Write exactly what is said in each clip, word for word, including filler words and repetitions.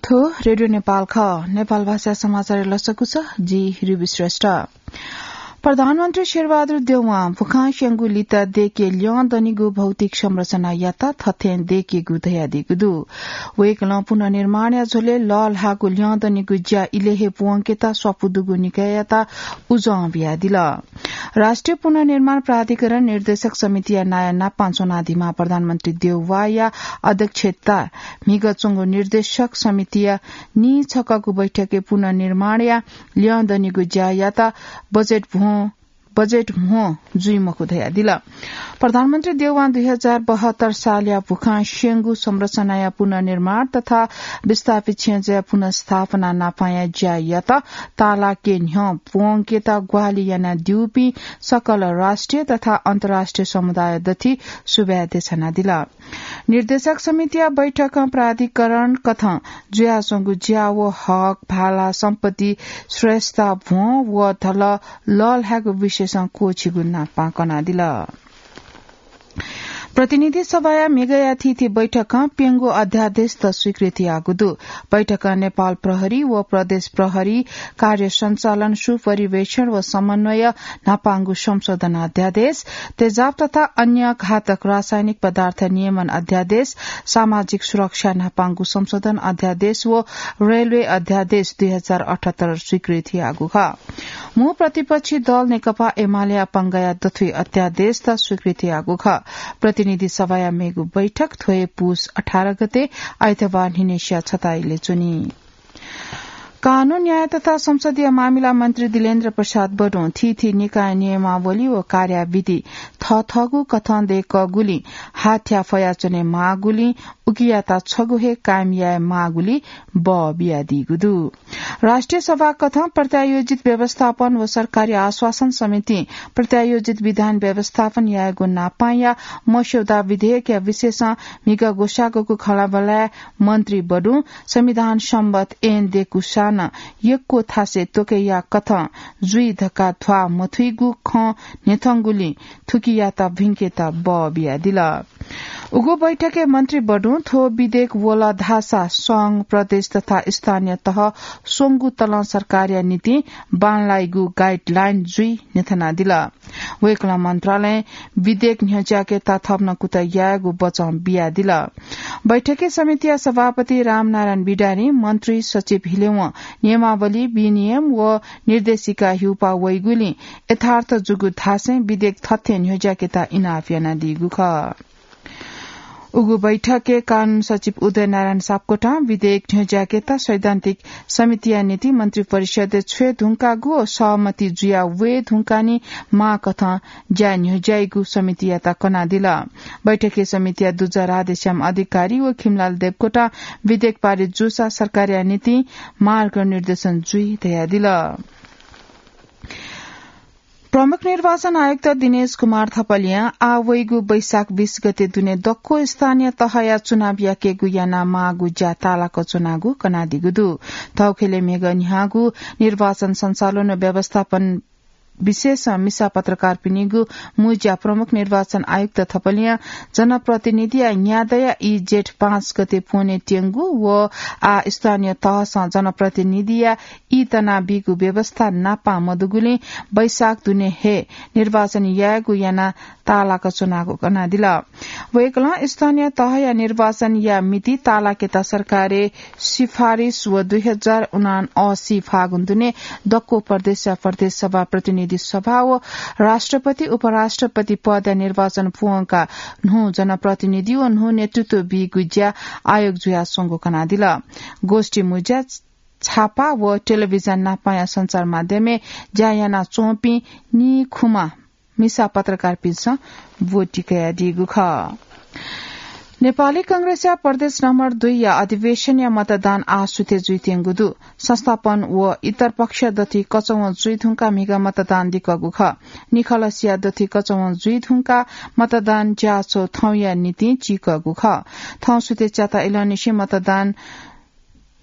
थ्व रेडियो नेपाल खः। नेपाल भाषा समाचार लसकु छ, जि रिबी श्रेष्ठ। प्रधानमन्त्री शेरबहादुर देउवां भुखां स्यंगु लिता देके ल्यं दनिगु भौतिक संरचनायात थथें देकेगु धयादीगु दु। वय्कलं पुनर्निर्माणया झ्वलय् लःल्हाःगु ल्यं दनिगु ज्या इलय् हे प्वंकेत स्वापू दुगु निकाययात उजं बियादिल। राष्ट्रिय पुनर्निर्माण प्राधिकरण निर्देशक समितिया नायः नापं च्वनादीम्ह प्रधानमन्त्री देउवाया अध्यक्षता म्हिगः च्वंगु निर्देशक समितिया नीछकःगु बैठकय् पुनर्निर्माणया ल्यं दनिगु ज्यायात बजेट भ्वं, बजेट म्हो जुइ मखु धयादिल। प्रधानमन्त्री देउवां दुई हजार बहत्तर सालया भुखां स्यंगु संरचनाया पुनर्निर्माण तथा विस्थापित क्षय्जाया पुनर्स्थापना नापांया ज्यायात तालाके न्ह्यः प्वंकेत ग्वाहालि यानादीपिं सकल राष्ट्रिय तथा अन्तर्राष्ट्रिय समुदाय दथि सुभाय् देछानादिल। निर्देशक समितिया बैठकं प्राधिकरण कथं जुयाच्वंगु ज्या व हक, भाला, सम्पत्ति, श्रेष्ठता, भ्वं व धलः लःल्हायेगु विषयसं क्वःछिगु नापं कनादिल। प्रतिनिधि सभाया म्हिगःया थीथी बैठकं प्यंगू अध्यादेशत स्वीकृति याःगु दु। बैठकं नेपाल प्रहरी व प्रदेश प्रहरी कार्य सञ्चालन, सुपरिवेक्षण व समन्वय न्हापांगु संशोधन अध्यादेश, तेजाब तथा अन्य घातक रासायनिक पदार्थ नियमन अध्यादेश, सामाजिक सुरक्षा न्हापांगु संशोधन अध्यादेश व रेलवे अध्यादेश दुई हजार अठहत्तर स्वीकृति याःगु खः। मू प्रतिपक्षी दल नेकपा एमालेया पंगःया दथुइ अध्यादेशत स्वीकृति याःगु खः। प्रतिनिधि सभाया मेगु बैठक थ्व हे पुस अठार गते आइतबार न्हिनेसिया छता इलय् च्वनी। कानून, न्याय तथा संसदीय मामिला मन्त्री दिलेन्द्र प्रसाद बडुं थीथी निकाय नियमावली व कार्याविधि थःथःगु कथं दय्कःगुलिं हाथ्या फयाच्वने माःगुलिं उकियात छगू हे कायम याये माःगुलिं बः बियादीगु दु। राष्ट्रिय सभा कथं प्रत्यायोजित व्यवस्थापन व सरकारी आश्वासन समितिं प्रत्यायोजित विधान व्यवस्थापन यायेगु नापांया मस्यौदा विधेयकया विषयसं म्हिगः ग्वसाःगुगु खँल्हाबल्हाय् मन्त्री बडुं संविधान सम्बत ऐन दय्कूसां नं यक्व थासय् त्वकय्या कथं जुइ धकाः ध्वाः मथुइगु खँ न्ह्यथंगुलिं थुकियात भिंकेत बः बियादिल। उगु बैठकय् मन्त्री बडुं थ्व विधेयक वल धाःसा संघ, प्रदेश तथा स्थानीय तह स्वंगू तलं सरकारया निंतिं बांलाइगु guideline जुइ न्ह्यथनादिल। वय्कलं मन्त्रालयं विधेयक न्ह्यज्याकेत थप नं कुतः यायेगु बचं बियादिल। बैठकय् समितिया सभापति रामनारायण बिडारीं मन्त्री सचिव हिलेवं नियमावली, विनियम व निर्देशिका हिउपा वइगुलिं यथार्थ जूगु धासें विधेयक थथें न्ह्यज्याकेत इनाप यानादीगु खः। उगु बैठकय् कानून सचिव उदय नारायण सापकोटां विधेयक न्ह्यज्याकेत सैद्धान्तिक समितिया निंतिं मन्त्रिपरिषदय् छ्वये धुंकागु व सहमति जुया वये धुंकाः नं माःकथं ज्या न्ह्यज्याइगु समितियात कनादिल। बैठकय् समितिया दुजः राधेश्याम अधिकारी व खिमलाल देवकोटां विधेयक पारित जूसा सरकारया निंतिं मार्गनिर्देशन जुइ धयादिल। प्रमुख निर्वाचन आयुक्त दिनेश कुमार थपलियां आः वइगु वैशाख बीस गते दुने दक्व स्थानीय तहया चुनाव याकेगु याना माःगु ज्या तालाक च्वनागु कनादीगु दु। थौंकन्हय् म्हिगः न्ह्याःगु निर्वाचन सञ्चालन व व्यवस्थापन विषयसं मिसा पत्रकारपिनिगु मुँज्या प्रमुख निर्वाचन आयुक्त थपलियां जनप्रतिनिधिया न्यादँया ई जेठ पाँच गते प्वने त्यंगु व आः स्थानीय तहसं जनप्रतिनिधिया ई तनाबीगु व्यवस्था नापं मदुगुलिं वैशाख दुने हे निर्वाचन यायेगु याना तालाक च्वनागु कनादिल। वय्कलं स्थानीय तहया निर्वाचनया मिति तालाकेत सरकारय् सिफारिस व दुई हजार उनासी फागुन दुने दक्व प्रदेशया प्रदेश सभा, प्रतिनिधि सभा व राष्ट्रपति, उपराष्ट्रपति पदया निर्वाचन प्वंकाः न्हू जनप्रतिनिधि व न्हू नेतृत्व बीगु ज्या आयोग जुयाच्वंगु कनादिल। गोष्ठी मुँज्या, छापा व टेलिभिजन नापंया सञ्चार माध्यमय् ज्या यानाच्वंपिं निखुम्ह मिसा पत्रकारपिन्सं ब्वति कयादीगु खः। नेपाली कांग्रेसया प्रदेश नम्बर दुईया अधिवेशनया मतदान आः सुथे जुइत्यंगु दु। संस्थापन व इतर पक्ष दथुइ कचवं जुइधुंकाः म्हिगः मतदान दिकःगु खः। निखलसिया दथुइ कचवं जुइधुंकाः मतदान ज्याझ्वः थौंया निंतिं चीकःगु खः। थौं सुथे च्याता इलंनिसें मतदान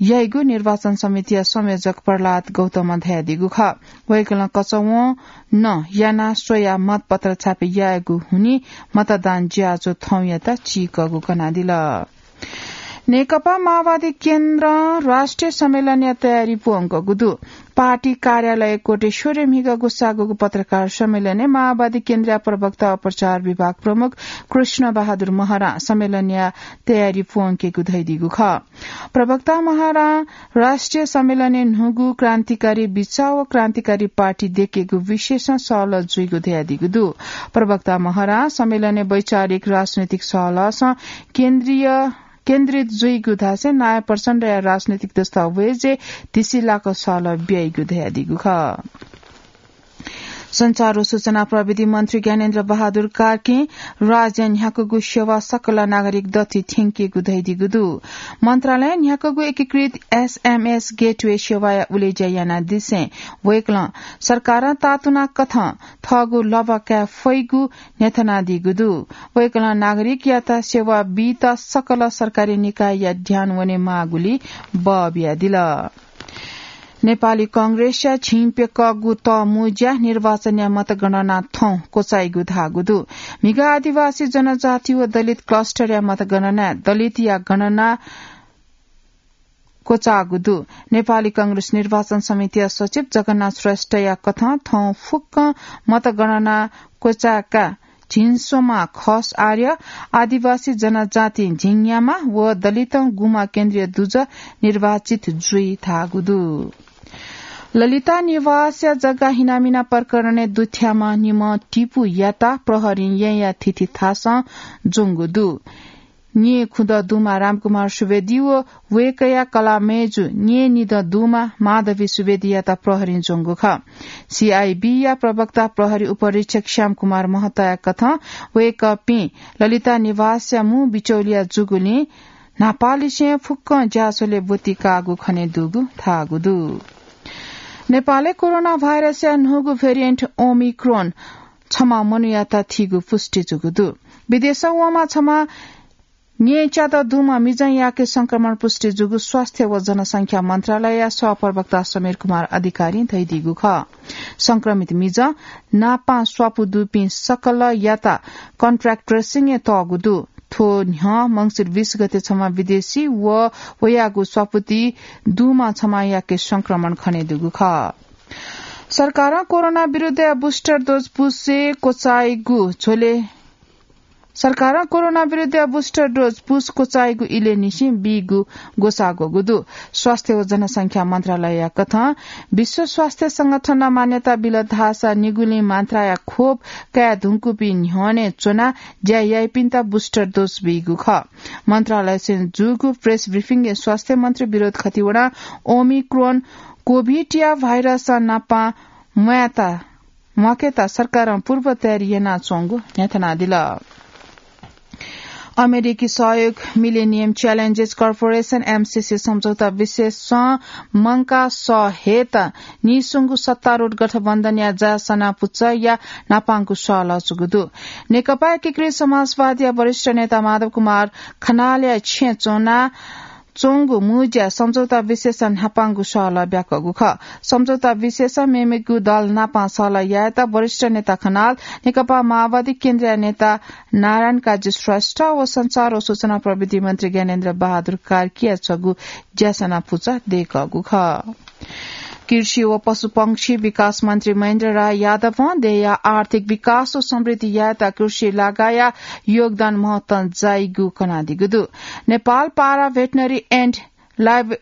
याइगु निर्वाचन समितिया संयोजक प्रह्लाद गौतमं धयादीगु खः। वय्कलं कचवं नं यानाः स्वयाः मतपत्र छापे यायेगु हुनिं मतदान ज्याझ्वः थौंयात चीकःगु कनादिल। नेकपा माओवादी केन्द्र राष्ट्रिय सम्मेलनया तयारी प्वंकगु दु। पार्टी कार्यालय कोटेश्वरय् म्हिगः ग्वसाःगु पत्रकार सम्मेलनय् माओवादी केन्द्रया प्रवक्ता व प्रचार विभाग प्रमुख कृष्ण बहादुर महरां सम्मेलनया तयारी प्वंकेगु धयादीगु खः। प्रवक्ता महरां राष्ट्रिय सम्मेलनय् न्हूगु क्रान्तिकारी बिचाः व क्रान्तिकारी पार्टी दयेकेगु विषयसं सहलह जुइगु धयादीगु दु। प्रवक्ता महरां सम्मेलनय् वैचारिक राजनैतिक सहलहसं केन्द्रीय केन्द्रित जुइगु धासें नायः प्रचण्डया राजनैतिक दस्तावेजय् धिसिलाक सहलह ब्याइगु धयादीगु खः। संचार व सूचना प्रविधि मन्त्री ज्ञानेन्द्र बहादुर कार्कीं राज्यं न्ह्याकूगु सेवा सकल नागरिक दथुइ थ्यंकीगु धयादीगु दु। मन्त्रालयं न्ह्याकूगु एकीकृत एसएमएस गेटवे सेवाया उलेज्या यानादिसें वय्कलं सरकारं तातुना कथं थःगु लभा काये फइगु न्ह्यथनादीगु दु। वय्कलं नागरिकयात सेवा बीत सकल सरकारी निकायया ध्यान वनेमाःगुलिइ बः बियादिल। नेपाली कांग्रेसया झिंप्यकःगु तःमुँज्या निर्वाचनया मतगणना थौं क्वचाइगु धाःगु दु। म्हिगः आदिवासी जनजाति व दलित क्लस्टरया मतगणनाय् दलितया गणना क्वचाःगु दु। नेपाली कांग्रेस निर्वाचन समितिया सचिव जगन्नाथ श्रेष्ठया कथं थौं फुक्कं मतगणना क्वचाय्का झिंस्वम्ह खस आर्य, आदिवासी जनजाति झिंन्याम्ह व दलितं गुम्ह केन्द्रीय दुजः निर्वाचित जुइ धाःगु दु। ललिता निवासया जग्गा हिनामिना प्रकरणय् दुथ्याःम्ह निम्ह टिपुयात प्रहरीं येँया थीथी थासं ज्वंगु दु। न्ये खुदँ दुम्ह रामकुमार सुवेदी व वय्कःया कलाःमय्जु न्ये निदँ दुम्ह माधवी सुवेदीयात प्रहरीं ज्वंगु खः। सीआईबीया प्रवक्ता प्रहरी उपरीक्षक श्यामकुमार महताया कथं वय्कःपिं ललिता निवासया मू बिचौलिया जूगुलिं न्हापांनिसें फुक्कं ज्याझ्वलय् ब्वति काःगु खनेदुगु धाःगु दु। नेपालय् कोरोना भाइरसया न्हूगु भेरिएन्ट ओमिक्रोन छम्ह मनूयात थीगु पुष्टि जूगु दु। विदेशं वंम्ह छम्ह न्येच्यात दुम्ह मिजंयाके संक्रमण पुष्टि जूगु स्वास्थ्य व जनसंख्या मन्त्रालयया सहप्रवक्ता समीर कुमार अधिकारीं धयादीगु खः। संक्रमित मिजं नापां स्वापू दुपिं सकलयात कन्ट्याक्ट ट्रेसिङय् तःगु दु। थ्व न्ह्यः मंसिर बीस गते छम्ह विदेशी व वयागु स्वापूति दुम्ह छम्हयाके संक्रमण खनेदुगु खः। सरकारं कोरोना विरुद्धया बुस्टर डोज पुसे क्वचाइगु झ्वले सरकारं कोरोना विरुद्धया बुस्टर डोज पुस क्वचाइगु इलय् निसें बीगु ग्वसाः ग्वःगु दु। स्वास्थ्य व जनसंख्या मन्त्रालयया कथं विश्व स्वास्थ्य संगठनं मान्यता बिल धाःसा निगुलिं मात्राया खोप काये धुंकूपिं न्ह्यःने च्वनाः ज्या याइपिन्त बुस्टर डोज बीगु खः। मन्त्रालयसें जूगु प्रेस ब्रिफिङय् स्वास्थ्य मन्त्री विनोद खतिवडां ओमिक्रोन कोभिडया भाइरसं नापां म्वायेत म्वाकेत सरकारं पूर्व तयारी यानाच्वंगु न्ह्यथनादिल। अमेरिकी सहयोग मिलेनियम च्यालेन्जेस कर्पोरेसन, एमसीसी, सम्झौता विशेषं मंकाः सः हयेत नीस्वंगु सत्तारूढ गठबन्धनया ज्यासना पुचःया न्हापांगु सहलह जूगु दु। नेकपा एकीकृत समाजवादीया वरिष्ठ नेता माधव कुमार खनालया छेँय् च्वना च्वंगु मुँज्या सम्झौता विशेषं न्हापांगु सहलह ब्याकःगु खः। सम्झौता विशेषं मेमेगु दल नापां सहलह यायेत वरिष्ठ नेता खनाल, नेकपा माओवादी केन्द्रीय नेता नारायण काजी श्रेष्ठ व संचार व सूचना प्रविधि मन्त्री ज्ञानेन्द्र बहादुर कार्कीया छगू ज्यासना पुचः दयेकःगु खः। कृषि व पशुपंक्षी विकास मन्त्री महेन्द्र राय यादवं देय्‌या आर्थिक विकास व समृद्धि यायेत कृषि लागाया योगदान महत्तम जाइगु कनादीगु दु। नेपाल पारा भेटनरी एन्ड लाइभ-,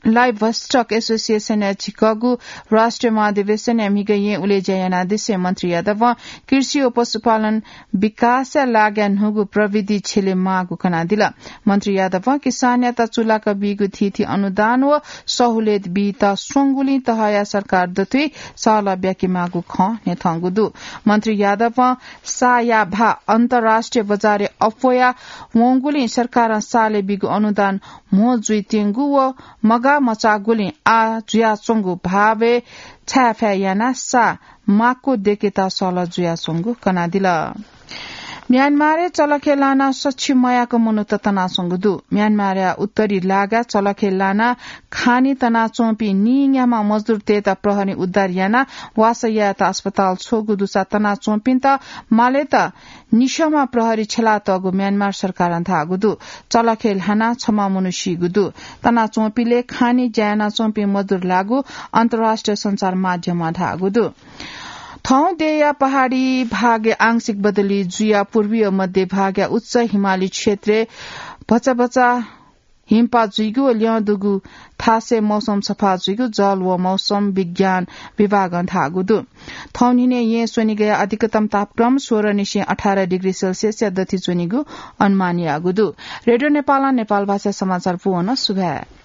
लाइभस्टक एसोसिएसनया झिकःगु राष्ट्रिय महाधिवेशनय् म्हिगः येँ उलेज्या यानादिसें मन्त्री यादवं कृषि व पशुपालन विकासया लागाय् न्हूगु प्रविधि छ्यले माःगु कनादिल। मन्त्री यादवं किसानयात चुलाक बीगु थीथी अनुदान व सहुलियत बीत स्वंगुलिं तहया सरकार दथुइ सहलह ब्याकेमाःगु खँ न्ह्यथंगु दु। मन्त्री यादवं साया भा अन्तर्राष्ट्रिय बजारय् अप्वया वंगुलिं सरकारं सालय् बीगु अनुदान म्हो जुइत्यंगु व मगाः मचाःगुलिं आः जुयाच्वंगु भावय् छाय्‌फाय् यानाः सा माक्व दयेकेत सहलह जुयाच्वंगु कनादिल। म्यानमारय् चलखे लाना सछि मयाक मनूत तनाच्वंगु दु। म्यानमारया उत्तरी लागा चलखे लाना खानी तनाच्वंपिं नीन्याम्ह मजदुरतय्त प्रहरी उद्धार याना वासः यायेत अस्पताल छ्वःगु दुसा तनाच्वंपिन्त मालेत निसःमा प्रहरी छ्यलातःगु म्यानमार सरकारं धाःगु दु। चलखे ल्हाना छम्ह मनू सीगु दु। तनाच्वंपिले खानी ज्या यानाच्वंपिं मजदुर लाःगु अन्तर्राष्ट्रिय सञ्चार माध्यमं धाःगु दु। थौं देय्‌या पहाडी भागय् आंशिक बदली जुयाः पूर्वीय मध्य भागया उच्च हिमाली क्षेत्रय् भचा भचा हिमपात जुइगु व ल्यं दुगु थासय् मौसम सफा जुइगु जल व मौसम विज्ञान विभागं धाःगु दु। थौं न्हिनय् येँ स्वनिगया अधिकतम तापक्रम सोह्र निसें अठार डिग्री सेल्सियसया दथि च्वनीगु अनुमान याःगु दु। रेडियो नेपालं नेपाल भाषा समाचार पूवन सुभाय्।